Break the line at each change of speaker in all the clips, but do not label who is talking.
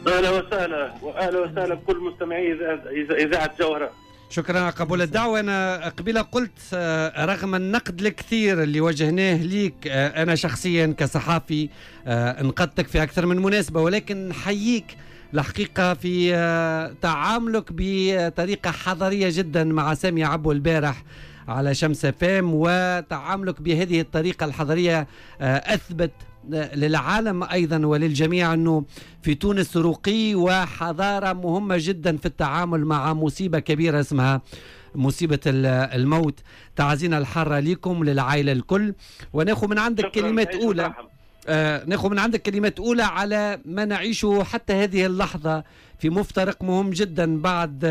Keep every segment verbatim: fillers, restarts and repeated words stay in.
اهلا وسهلا، واهلا وسهلا بكل مستمعي اذاعة جوهره.
شكرا على قبول الدعوة. أنا قبيلة قلت رغم النقد الكثير اللي وجهناه ليك، أنا شخصيا كصحافي انقدتك في أكثر من مناسبة، ولكن نحييك الحقيقة في تعاملك بطريقة حضارية جدا مع سامي عبو البارح على شمس فام، وتعاملك بهذه الطريقة الحضارية أثبت للعالم أيضا وللجميع أنه في تونس رقي وحضارة مهمة جدا في التعامل مع مصيبة كبيرة اسمها مصيبة الموت. تعزينا الحارة لكم للعائلة الكل، وناخذ من عندك كلمات أولى آه ناخذ من عندك كلمات أولى على ما نعيشه حتى هذه اللحظة في مفترق مهم جدا بعد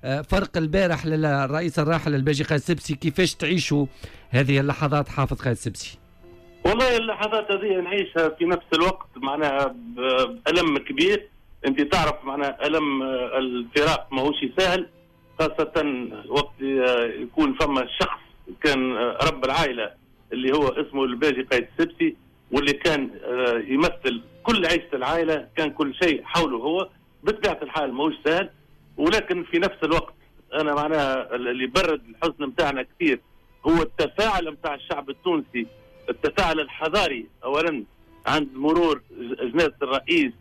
آه فرق البارح للرئيس الراحل الباجي قايد السبسي. كيفاش تعيشوا هذه اللحظات حافظ قايد السبسي؟
والله اللحظات هذه نعيشها في نفس الوقت معناها بألم كبير. انت تعرف معناها ألم الفراق ماهوش سهل، خاصة وقت يكون فما شخص كان رب العائلة اللي هو اسمه الباجي قايد السبسي، واللي كان يمثل كل عيشة العائلة، كان كل شيء حوله هو. بطبيعة الحال ماهوش سهل، ولكن في نفس الوقت أنا معناها اللي برد الحزن متاعنا كثير هو التفاعل متاع الشعب التونسي، التفاعل الحضاري. اولا عند مرور جنازه الرئيس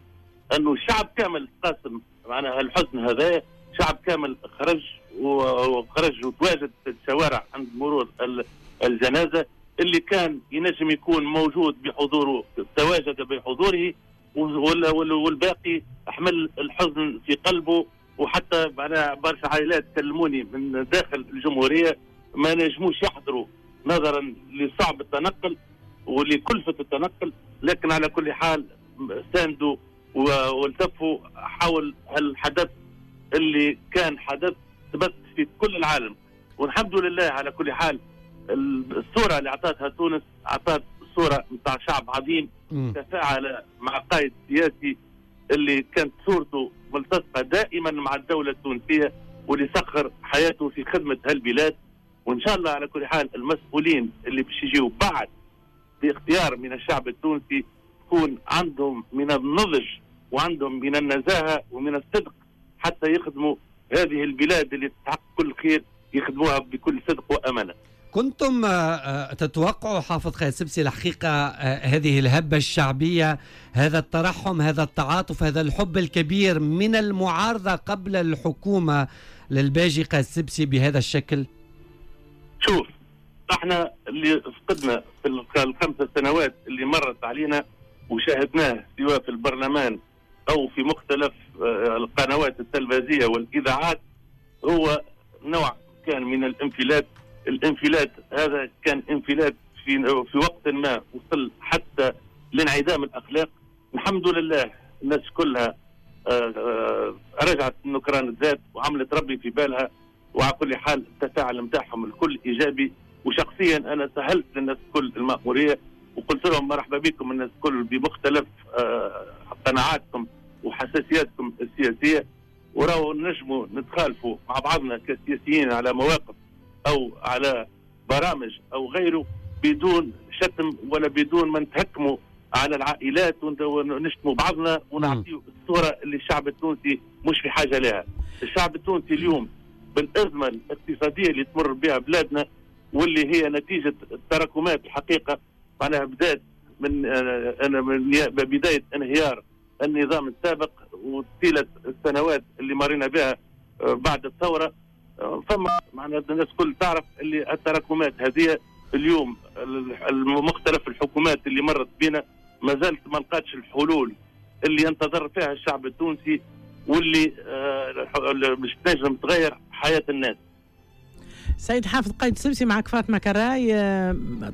انه الشعب كامل تقاسم معناها الحزن هذا، شعب كامل خرج وخرج وتواجد في الشوارع عند مرور الجنازة، اللي كان ينجم يكون موجود بحضوره تواجد بحضوره، والباقي حمل الحزن في قلبه. وحتى معناها برشا عائلات كلموني من داخل الجمهورية ما نجموش يحضروا نظرا لصعب التنقل ولكلفة التنقل، لكن على كل حال ساندوا والتفوا حول الحدث اللي كان حدث ثبت في كل العالم. والحمد لله على كل حال الصورة اللي أعطتها تونس أعطت صورة نتاع شعب عظيم تفاعل مع قائد سياسي اللي كانت صورته ملتصقة دائما مع الدولة التونسية واللي سخر حياته في خدمة هالبلاد. وان شاء الله على كل حال المسؤولين اللي باش يجيو بعد باختيار من الشعب التونسي تكون عندهم من النضج وعندهم من النزاهة ومن الصدق حتى يخدموا هذه البلاد اللي تستحق كل خير، يخدموها بكل صدق وامانه.
كنتم تتوقعوا حافظ قايد السبسي الحقيقة هذه الهبة الشعبية، هذا الترحم، هذا التعاطف، هذا الحب الكبير من المعارضة قبل الحكومة للباجي قايد السبسي بهذا الشكل؟
شوف، احنا اللي فقدنا في الخمس سنوات اللي مرت علينا وشاهدناه سواء في البرلمان او في مختلف القنوات التلفزيونية والاذاعات هو نوع كان من الانفلات. الانفلات هذا كان انفلات في في وقت ما وصل حتى لانعدام الاخلاق. الحمد لله الناس كلها رجعت نكران الذات وعملت ربي في بالها، وعلى كل حال التفاعل نتاعهم الكل ايجابي. وشخصيا انا سهلت للناس الكل المأموريه وقلت لهم مرحبا بكم الناس الكل بمختلف قناعاتكم وحساسياتكم السياسية، وراو نجموا نتخالفوا مع بعضنا كسياسيين على مواقف او على برامج او غيره بدون شتم ولا بدون ما نتهكموا على العائلات ونشتموا بعضنا ونعطيوا الصورة اللي الشعب التونسي مش في حاجة لها. الشعب التونسي اليوم بالأزمة الاقتصادية اللي تمر بها بلادنا واللي هي نتيجة التراكمات الحقيقة معناها بدأت من من بداية انهيار النظام السابق وطيلة السنوات اللي مرينا بها بعد الثورة، فما معناها الناس كل تعرف اللي التراكمات هذه اليوم مختلف الحكومات اللي مرت بنا ما زالت ما لقاتش الحلول اللي ينتظر فيها الشعب التونسي واللي مش تنجم تغير حياة الناس.
سيد حافظ قايد السبسي، معك فاطمة كراي.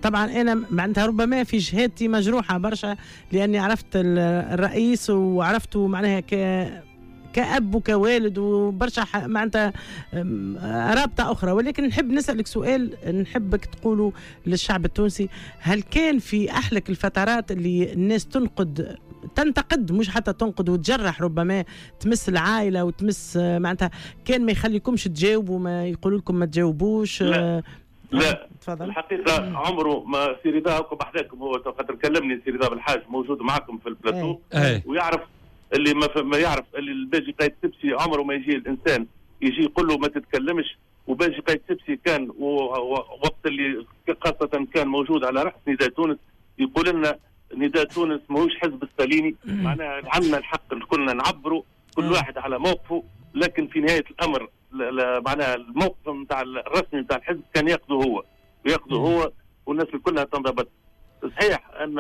طبعا أنا معناتها ربما في شهادتي مجروحة برشا لأني عرفت الرئيس وعرفته معناها ك كأب وكوالد وبرشا معناتها رابطة أخرى، ولكن نحب نسألك سؤال نحبك تقوله للشعب التونسي. هل كان في أحلك الفترات اللي الناس تنقد تنتقد مش حتى تنقد وتجرح ربما تمس العائلة وتمس معناتها، كان ما يخليكمش تجاوبوا، ما يقولوا لكم ما تجاوبوش؟
لا لا تفضل. الحقيقة عمره ما سي رضا هاكم بحذاكم، هو خاطر كلمني سي رضا بالحاج موجود معكم في البلاتو. أي. ويعرف اللي ما, ما يعرف اللي الباجي قايد سبسي عمره ما يجي الانسان يجي يقول له ما تتكلمش. وباجي قايد سبسي كان وقت اللي خاصة كان موجود على رأس نداء تونس يقول لنا نداء تونس ماهوش حزب الستاليني، معناها عندنا الحق كلنا نعبروا كل واحد على موقفه، لكن في نهاية الأمر معناها الموقف نتاع الرسمي نتاع الحزب كان ياخذه هو وياخذه هو والناس كلها تنضبط. صحيح أن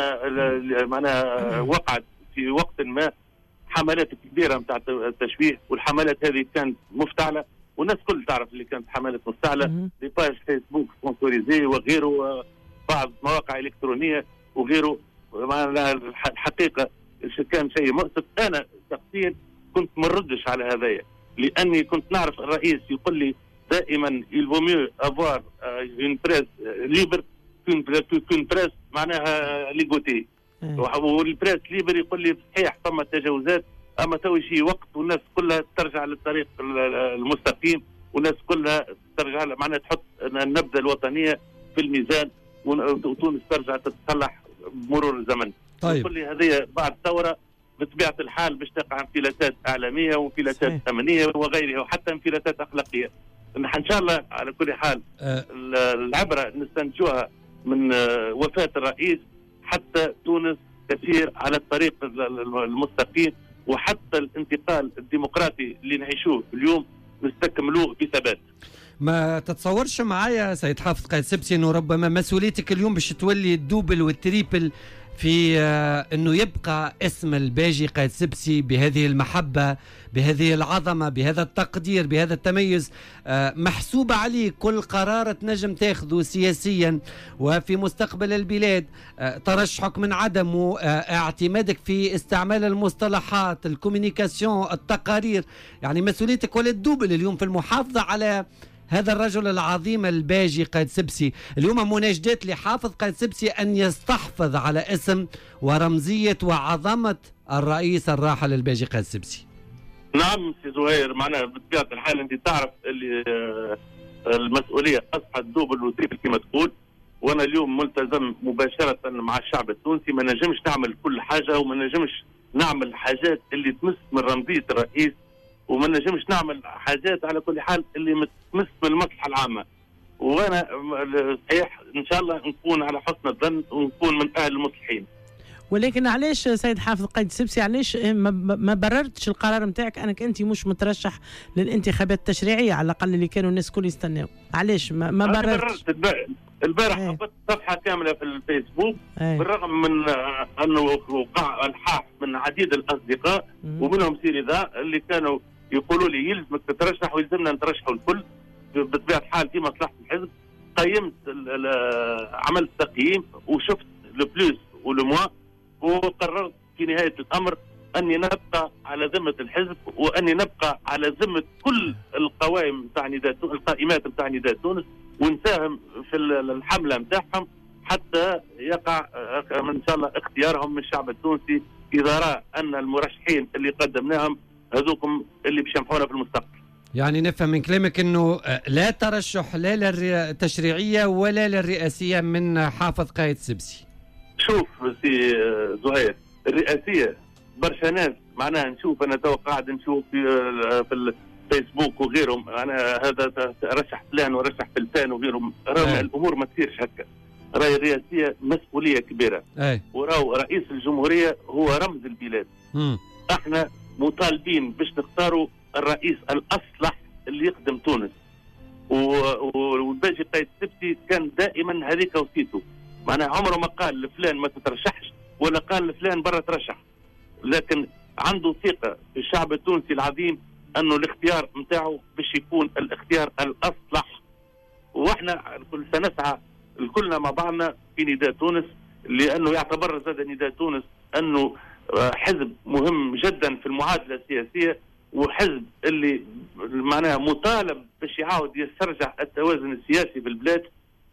معناها وقعت في وقت ما حملات كبيرة نتاع التشويه، والحملات هذه كانت مفتعلة والناس كل تعرف اللي كانت حملات مفتعلة، les pages Facebook sponsorisées وغيره، بعض مواقع إلكترونية وغيره. الحقيقة كان شيء مؤسف. أنا شخصيا كنت مردش على هذايا، لأني كنت نعرف الرئيس يقول لي دائما il vaut mieux avoir une presse libre qu'une presse معناها ligotée. وال presse libre يقول لي صحيح ثم تجاوزات، اما تو يجي وقت والناس كلها ترجع للطريق المستقيم، والناس كلها ترجع معناها تحط النبذه الوطنية في الميزان، وتونس ترجع تتصلح بمرور الزمن. طيب. يقول لي هذه بعد ثورة بطبيعة الحال باش تقع انفلاتات اعلامية وانفلاتات امنية وغيرها وحتى انفلاتات اخلاقية. ان شاء الله على كل حال أه. العبرة نستنتجوها من وفاه الرئيس، حتى تونس تسير على الطريق المستقيم، وحتى الانتقال الديمقراطي اللي نعيشوه اليوم نستكملوه بثبات.
ما تتصورش معايا سيد حافظ قايد سبسي انه ربما مسؤوليتك اليوم باش تولي ال double وال triple في انه يبقى اسم الباجي قايد سبسي بهذه المحبة، بهذه العظمة، بهذا التقدير، بهذا التميز، محسوبة عليه كل قرار تنجم تاخذه سياسيا وفي مستقبل البلاد، ترشحك من عدمه، اعتمادك في استعمال المصطلحات، ال communication، التقارير، يعني مسؤوليتك ولا ال double اليوم في المحافظة على هذا الرجل العظيم الباجي قايد سبسي. اليوم مناشدات لحافظ قايد سبسي أن يستحفظ على اسم ورمزية وعظمة الرئيس الراحل الباجي قايد سبسي.
نعم سي زهير، معناها بطبيعة الحال أنت تعرف اللي المسؤولية أصبحت double و triple كما تقول، وأنا اليوم ملتزم مباشرة مع الشعب التونسي، ما نجمش نعمل كل حاجة وما نجمش نعمل حاجات اللي تمس من رمزية الرئيس، وما نجمش نعمل حاجات على كل حال اللي تمس بالمصلحة العامة. وانا صحيح ان شاء الله نكون على حسن الظن ونكون من اهل المصلحين.
ولكن علاش سيد حافظ قايد سبسي، علاش ما بررتش القرار نتاعك انك انت مش مترشح للانتخابات التشريعية على الاقل اللي كانوا الناس الكل يستناو؟ علاش ما, ما بررتش؟
البارح هبطت صفحة كاملة في الفيسبوك، ايه. بالرغم من انه وقع الحاح من عديد الاصدقاء ومنهم سي رضا اللي كانوا يقولوا لي يلزمك تترشح ويلزمنا نترشحوا الكل بطبيعة الحال في مصلحة الحزب. قيمت، عملت تقييم وشفت le plus و le moins، وقررت في نهاية الامر اني نبقى على ذمه الحزب واني نبقى على ذمه كل القوائم نتاع نداء القائمات نتاع نداء تونس، ونساهم في الحملة نتاعهم حتى يقع ان شاء الله اختيارهم من الشعب التونسي اذا راى ان المرشحين اللي قدمناهم هذوكم اللي باش ينفعونا في المستقبل.
يعني نفهم من كلامك انه لا ترشح لا للتشريعيه ولا للرئاسيه من حافظ قايد سبسي.
شوف سي زهير، الرئاسية برشا ناس معناها نشوف انا تو قاعد نشوف في في الفيسبوك وغيرهم، معناها هذا رشح فلان ورشح فلان وغيرهم، راهو الامور ما تصيرش هكا. راهي الرئاسية مسؤولية كبيرة، وراهو رئيس الجمهورية هو رمز البلاد.
مم.
احنا مطالبين باش نختاروا الرئيس الاصلح اللي يخدم تونس، والباجي قايد سبسي كان دائما هذيك وصيته، معناها عمره ما قال لفلان ما تترشحش ولا قال لفلان برا ترشح، لكن عنده ثقة في الشعب التونسي العظيم انه الاختيار نتاعو باش يكون الاختيار الاصلح. واحنا الكل سنسعى الكلنا مع بعضنا في نداء تونس، لانه يعتبر زاد نداء تونس انه حزب مهم جدا في المعادلة السياسية، وحزب اللي معناها مطالب باش يعاود يسترجع التوازن السياسي في البلاد.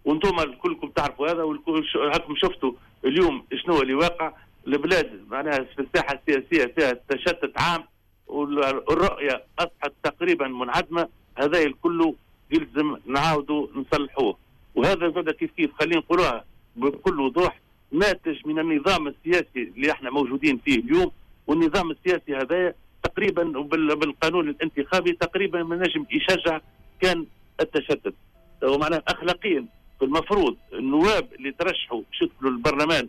وانتم كلكم تعرفوا هذا، والكل هاكم شفتوا اليوم شنو اللي واقع البلاد، معناها في الساحة السياسية فيها تشتت عام والرؤية اصبحت تقريبا منعدمة. هذا الكل يلزم نعاودوا نصلحوه، وهذا زاد كيف كيف خلينا نقولوها بكل وضوح ناتج من النظام السياسي اللي احنا موجودين فيه اليوم، والنظام السياسي هذا تقريبا بالقانون الانتخابي تقريبا ما نجم يشجع كان التشتت. ومعناه اخلاقيا المفروض النواب اللي ترشحوا باش يدخلوا البرلمان،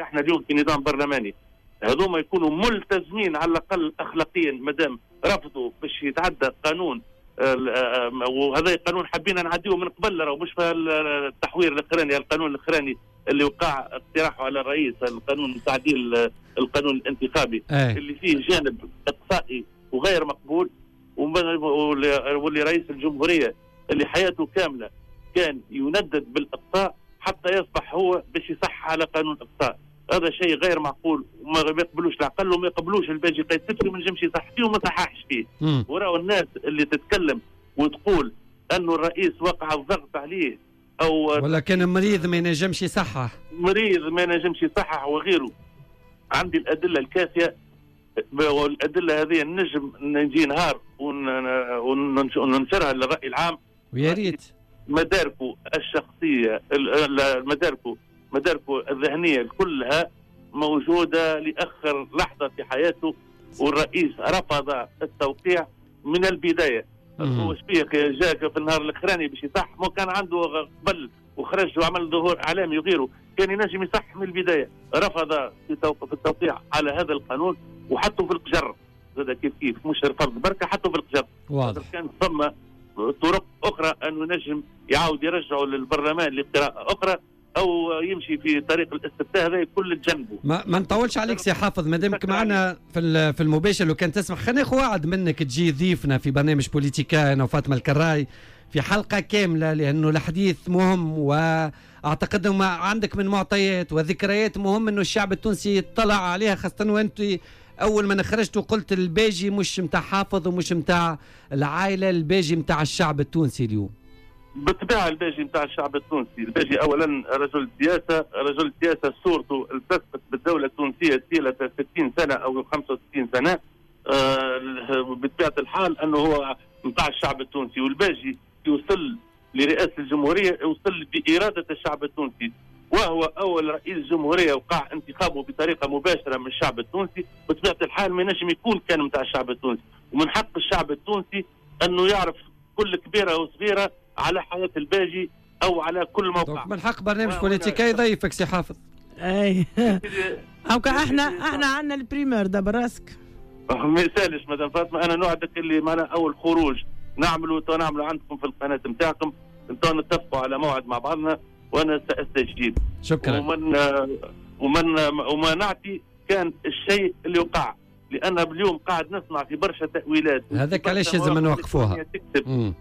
احنا اليوم في نظام برلماني، هذوما يكونوا ملتزمين على الاقل اخلاقيا مادام رفضوا باش يتعدى قانون، وهذا قانون حبينا نعديه من قبل، راهو مش في التحوير الاخراني، القانون الاخراني اللي وقع اقتراحه على الرئيس، القانون تعديل القانون الانتخابي أي. اللي فيه جانب اقصائي وغير مقبول، واللي رئيس الجمهورية اللي حياته كاملة كان يندد بالاقصاء حتى يصبح هو باش يصح على قانون الاقصاء. هذا شيء غير معقول وما يقبلوش العقل وما يقبلوش الباجي قايد السبسي، وما نجمش يصح فيه وما صححش فيه. وراو الناس اللي تتكلم وتقول انه الرئيس وقع الضغط عليه او
ولا كان مريض ما ينجمش يصحح،
مريض ما ينجمش يصحح وغيره، عندي الادلة الكافيه، والادلة هذه نجم نجي نهار وننشرها للراي العام.
ويا ريت
مداركه الشخصية، مداركه مداركه الذهنية كلها موجودة لاخر لحظة في حياته، والرئيس رفض التوقيع من البداية. هو شبيه جاك في النهار الاخراني باش يصح، ما كان عنده قبل وخرج وعمل ظهور اعلامي وغيره، كان ينجم يصح من البداية. رفض في التوقيع على هذا القانون وحطه في القجر، هذا كيف كيف مش رفض بركة، حطه في القجر.
واضح.
كان ثم طرق اخرى انه نجم يعاود يرجعه للبرلمان لقراءة اخرى او يمشي في طريق الاستفتاء، هذا كل تجنبه.
ما, ما نطولش عليك سي حافظ، ما دامك معنا في في المباشر، لو كان تسمح خلينا ناخذ وعد منك تجي ضيفنا في برنامج بوليتيكا انا وفاطمة الكراي في حلقة كاملة، لانه الحديث مهم، واعتقد ما عندك من معطيات وذكريات مهم انه الشعب التونسي يطلع عليها، خاصة وانت اول ما خرجت وقلت الباجي مش متاع حافظ ومش متاع العائلة، الباجي متاع الشعب التونسي اليوم.
بالطبيعة الباجي نتاع الشعب التونسي، الباجي اولا رجل سياسة، رجل سياسة صورته التصقت بالدولة التونسية طيلة ستين سنة او خمسة وستين سنة، آه بطبيعة الحال انه هو نتاع الشعب التونسي. والباجي يوصل لرئاسة الجمهورية يوصل باراده الشعب التونسي، وهو اول رئيس جمهورية وقع انتخابه بطريقة مباشرة من الشعب التونسي، بطبيعة الحال ما ينجم يكون كان نتاع الشعب التونسي. ومن حق الشعب التونسي انه يعرف كل كبيرة وصغيره على حياة الباجي أو على كل موقع.
من حق برنامج بوليتيكا يضيفك سي حافظ.
أي أو احنا احنا عندنا ال primeur دابا راسك.
ما يسالش مدام فاطمة، أنا نوعدك اللي معنا أول خروج نعملوا نعملوا عندكم في القناة نتاعكم، انتوا نتفقوا على موعد مع بعضنا وأنا سأستجيب.
شكرا.
ومن ومن وما نعطي كان الشيء اللي وقع، لأن اليوم قاعد نسمع في برشا تأويلات.
هذاك علاش لازم نوقفوها.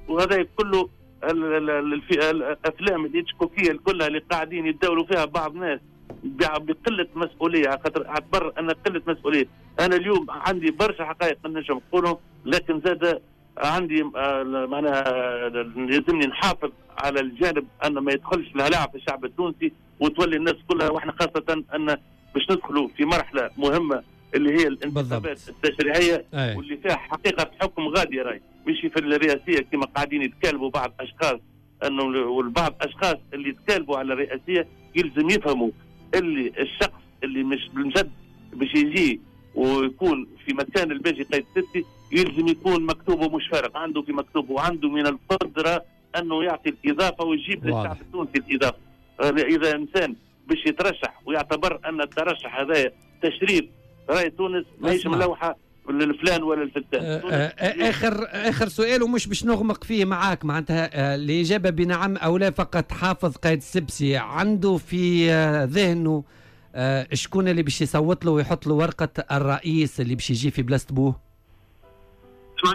وهذا كله الافلام الهيتشكوكيه كلها اللي قاعدين يتداولوا فيها بعض الناس بقلة مسؤولية، خاطر اعتبر ان قلة مسؤولية. انا اليوم عندي برشا حقائق نجم نقولهم، لكن زاد عندي معناها لازمني نحافظ على الجانب ان ما يدخلش الهلع في الشعب التونسي وتولي الناس كلها، واحنا خاصة ان باش ندخلوا في مرحلة مهمة اللي هي الانتخابات التشريعية. أي. واللي فيها حقيقة حكم غادي راي، مش في الرئاسية كما قاعدين يتكالبوا بعض اشخاص، انه والبعض اشخاص اللي يتكالبوا على الرئاسية يلزم يفهموا اللي الشخص اللي مش بالمجد باش يجي ويكون في مكان الباجي قايد السبسي يلزم يكون مكتوبة مش فارق، عنده في مكتوبة وعنده من القدرة انه يعطي الاضافة ويجيب للشعب التونسي الاضافة. اذا انسان باش يترشح ويعتبر ان الترشح هذا تشريف راي تونس ماهيش ملوحه للفلان ولا الفلتان.
اخر اخر سؤال ومش باش نغمق فيه معاك، معناتها الاجابة بنعم او لا فقط. حافظ قايد السبسي عنده في ذهنه شكون اللي باش يصوت له ويحط له ورقة الرئيس اللي باش يجي في بلاصة بوه؟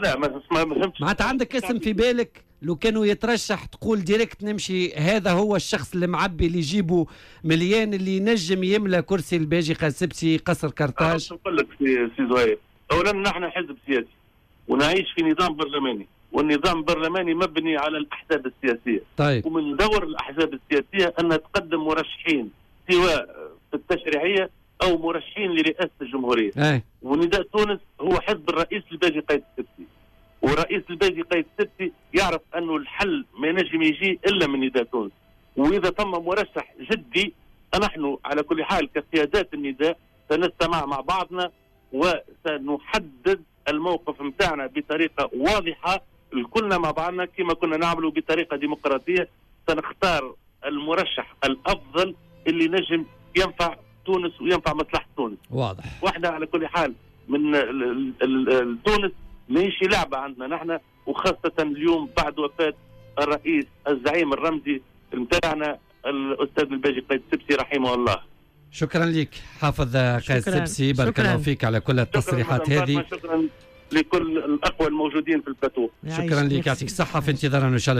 لا ما فهمتش.
معناتها عندك اسم في بالك لو كانوا يترشح تقول direct نمشي هذا هو الشخص اللي معبي اللي يجيبه مليان اللي ينجم يملى كرسي الباجي قايد السبسي قصر كرتاج؟
نقول لك سي زهير، اولا نحن حزب سياسي ونعيش في نظام برلماني، والنظام البرلماني مبني على الاحزاب السياسية.
طيب.
ومن دور الاحزاب السياسية ان تقدم مرشحين سواء في التشريعية او مرشحين لرئاسة الجمهورية.
أي.
ونداء تونس هو حزب الرئيس الباجي قايد السبسي، ورئيس الباجي قايد السبسي يعرف انه الحل ما ينجم يجي الا من نداء تونس، واذا ثم مرشح جدي نحن على كل حال كقيادات النداء سنستمع مع بعضنا وسنحدد الموقف نتاعنا بطريقة واضحة الكلنا مع بعضنا كما كنا نعمله بطريقة ديمقراطية. سنختار المرشح الافضل اللي نجم ينفع تونس وينفع مصلحة تونس.
واضح.
واحنا على كل حال من ال ال ال تونس ماهيش لعبه عندنا نحن، وخاصة اليوم بعد وفاه الرئيس الزعيم الرمزي نتاعنا الاستاذ الباجي قايد السبسي رحمه الله.
شكرا لك حافظ قايد السبسي، بارك الله فيك على كل التصريحات هذه.
شكرا لكل الاخوة الموجودين في البلاتو.
شكرا لك، يعطيك الصحة، في انتظارنا ان شاء الله.